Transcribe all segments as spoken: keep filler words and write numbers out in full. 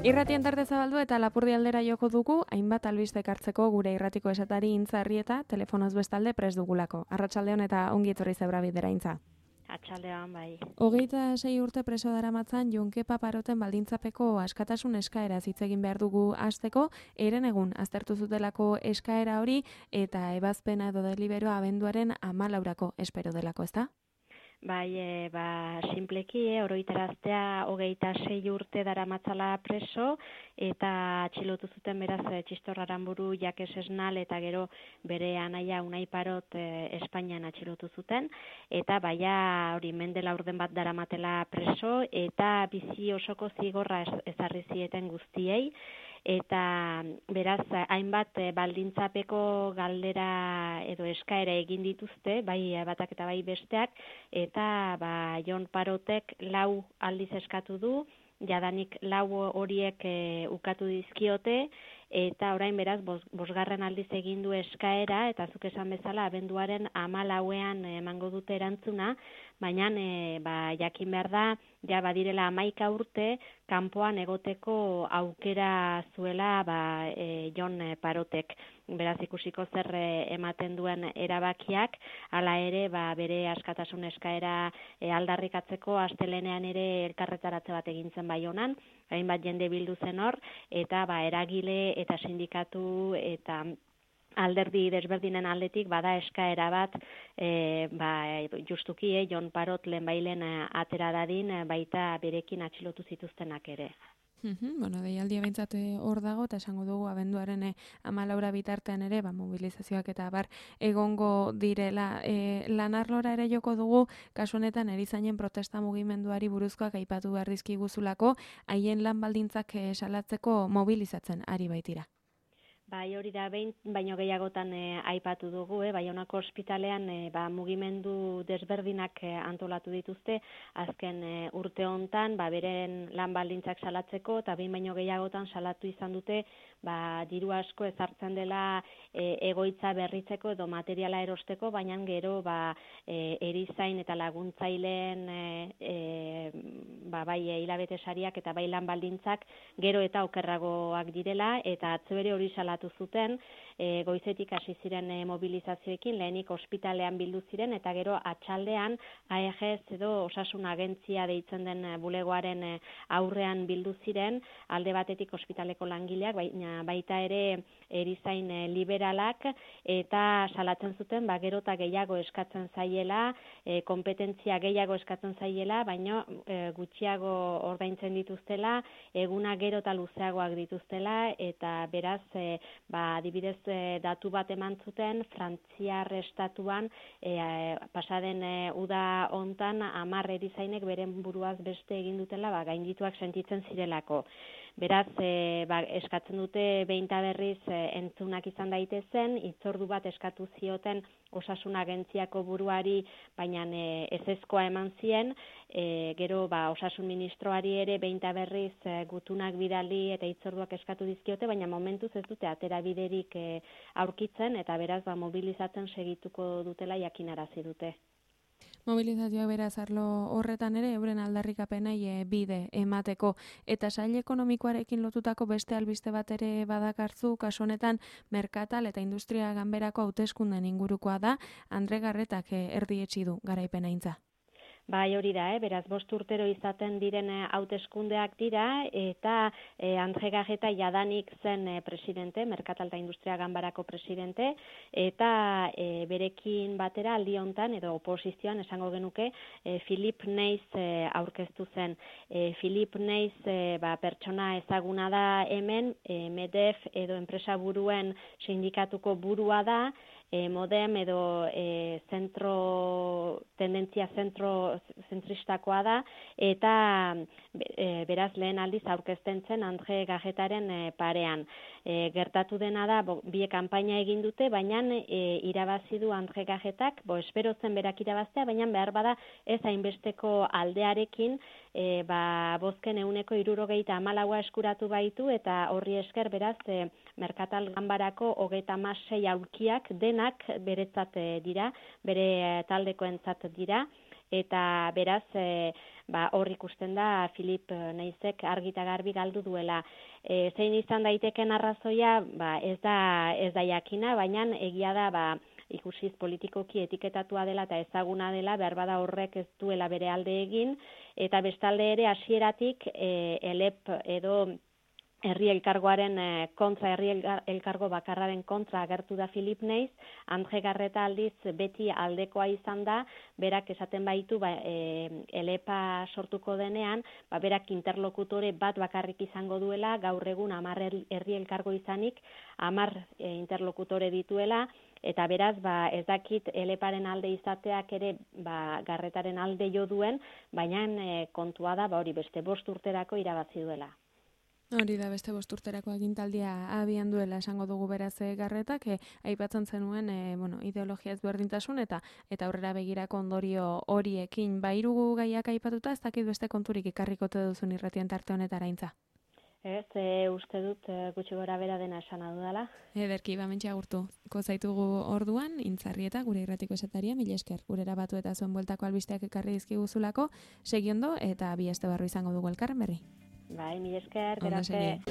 Irratien tarte zabaldu eta Lapurdi aldera joko dugu, hainbat albiste ekartzeko gure irratiko esatari Intza Arrieta, telefonoz bestalde prest dugulako. Arratsaldeon eta ongi etorri zebra bidera Intza. Atxaldean, bai. Hogeita sei urte preso daramatzan Jon Kepa Paroten baldintzapeko askatasun eskaera hitz egin behar dugu hasteko, eren egun aztertu zutelako eskaera hori eta ebazpena edo deliberoa abenduaren hamalaurako espero delako, ezta? Bai, e, ba, simpleki, e, oroitaraztea hogeita sei urte daramatzala preso, eta atxilotu zuten beraz e, Txistor Aranburu, Jakes Esnal, eta gero bere anaia Unai Parot e, Espainian atxilotu zuten, eta baia hori mendela urden bat daramatela preso, eta bizi osoko zigorra ez, ezarri zieten guztiei, eta beraz hainbat baldintzapeko galdera edo eskaera egin dituzte, bai batak eta bai besteak, eta ba, Jon Parotek lau aldiz eskatu du, jadanik lau horiek e, ukatu dizkiote, eta orain beraz bos, bosgarren aldiz egin du eskaera, eta zuk esan bezala abenduaren hamalauean emango dute erantzuna, baina e, ba, jakin behar da, ja badirela hamaika urte, kanpoan egoteko aukera zuela ba, e, Jon Parotek. Beraz ikusiko zer e, ematen duen erabakiak, hala ere ba, bere askatasun eskaera e, aldarrikatzeko astelenean ere elkarretaratze bat egin zen Baionan, hainbat jende bildu zen hor, eta ba, eragile eta sindikatu eta alderdi desberdinen aldetik bada eskaera bat e, ba, justuki eh, Jon Parot lehenbailen atera dadin baita berekin atxilotu zituztenak ere. Uhum, bueno, deialdia behintzat hor dago, eta esango dugu abenduaren e, hamalaura bitartean ere, ba, mobilizazioak eta bar egongo direla. E, lanarlora ere joko dugu, kasu honetan erizainen protesta mugimenduari buruzkoak aipatu behar dizkiguzulako, haien lan baldintzak e, salatzeko mobilizatzen ari baitira. Bai, hori da behin, baino gehiagotan e, aipatu dugu, eh? Baionako ospitalean e, ba, mugimendu desberdinak e, antolatu dituzte, azken e, urte hontan, ba, beren lan baldintzak salatzeko, eta behin baino gehiagotan salatu izan dute, ba, diru asko ezartzen dela e, egoitza berritzeko edo materiala erosteko, baina gero ba, e, erizain eta laguntzaileen e, e, ba, bai hilabete sariak eta bai lan baldintzak gero eta okerragoak direla, eta atzo ere hori salatu zuten, e, goizetik hasi ziren e, mobilizazioekin, lehenik ospitalean bildu ziren, eta gero atxaldean A E G ez edo osasun agentzia deitzen den bulegoaren e, aurrean bildu ziren, alde batetik ospitaleko langileak, baina baita ere erizain e, liberalak, eta salatzen zuten, ba, gero eta gehiago eskatzen zaiela, e, kompetentzia gehiago eskatzen zaiela, baina e, gutxiago ordaintzen dituztela, eguna gero eta luzeagoak dituztela, eta beraz, e, ba, adibidez e, datu bat eman zuten, Frantziar estatuan e, pasaden e, uda hontan hamar erizainek beren buruaz beste egin dutela, ba, gaindituak sentitzen zirelako. Beraz, e, ba, eskatzen dute behin eta berriz e, entzunak izan daitezen, hitzordu bat eskatu zioten osasun agentziako buruari, baina e, ezezkoa eman zien, e, gero ba, osasun ministroari ere behin eta berriz e, gutunak bidali eta hitzorduak eskatu dizkiote, baina momentuz ez dute atera biderik e, aurkitzen, eta beraz ba, mobilizatzen segituko dutela jakinarazi dute. Mobilizazioa beraz arlo horretan ere euren aldarrikapenei e, bide emateko, eta sail ekonomikoarekin lotutako beste albiste bat ere badakartzu, kasu honetan merkatal eta industria ganberako hauteskunden ingurukoa da, Andre Garretak e, erdietsi du garaipena Intza. Bai, hori da, eh? Beraz, bost urtero izaten diren hauteskundeak dira, eta eh, Andre Garreta jadanik zen eh, presidente, Merkatal eta Industria Ganbarako presidente, eta eh, berekin batera aldi hontan, edo oposizioan esango genuke, eh, Philip Neiz eh, aurkeztu zen. Eh, Philip Neiz eh, ba, pertsona ezaguna da hemen, eh, MEDEF edo enpresa buruen sindikatuko burua da, E, modem edo e, zentro, tendentzia zentro, zentristakoa da, eta e, beraz lehen aldiz aurkezten zen Andre Garretaren e, parean. E, gertatu dena da, bo, bie kanpaina egin dute, baina e, irabazi du Andre Garretak, bo espero zen berak irabaztea, baina behar bada ez hainbesteko aldearekin, e, ba, bozken euneko hirurogeita hamalaua eskuratu baitu, eta horri esker beraz e, Merkatal Ganbarako hogeita hamasei aulkiak denak beretzat dira, bere taldekoentzat dira, eta beraz e, ba, hor ikusten da Filip Neizek argita garbi galdu duela. E, zein izan daiteken arrazoia, ba, ez da ez da jakina, baina egia da ba, ikusiz politikoki etiketatua dela eta ezaguna dela, behar bada horrek ez duela bere alde egin, eta bestalde ere hasieratik e, elep edo herri elkargoaren kontra, herri elkargo bakarraren kontra agertu da Filip Neiz, Andre Garreta aldiz beti aldekoa izan da, berak esaten baitu ba, e, elepa sortuko denean, ba, berak interlokutore bat bakarrik izango duela, gaur egun hamar herri elkargo izanik, hamar e, interlokutore dituela, eta beraz, ba, ez dakit eleparen alde izateak ere ba, Garretaren alde jo duen, baina e, kontua da, ba, hori beste bost urterako irabazi duela. Hori da beste bost urterako agintaldia abian duela esango dugu beraz Garretak, e, aipatzen zenuen e, bueno, ideologia ezberdintasun eta eta aurrera begirako ondorio horiekin. Ba, hiru gaiak aipatuta, ez dakit beste konturik ikarrikote duzun irratien tarte honetaraintza. Ez, e, uste dut e, gutxi gora bera dena esan adudala. Ederki, ba, mentxe agurtuko zaitugu orduan, Intzarrieta, gure irratiko esataria, mila esker, gure erabatu eta zuen bueltako albisteak ekarri dizkiguzulako, segiondo eta bi aste barru izango dugu elkarren berri. Bai, mila esker, gerarte.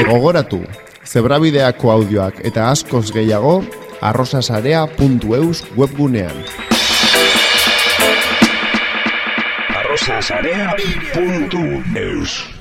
Gogoratu, Zebrabideako audioak eta askoz gehiago arrosasarea puntu eus webgunean. arrosasarea puntu eus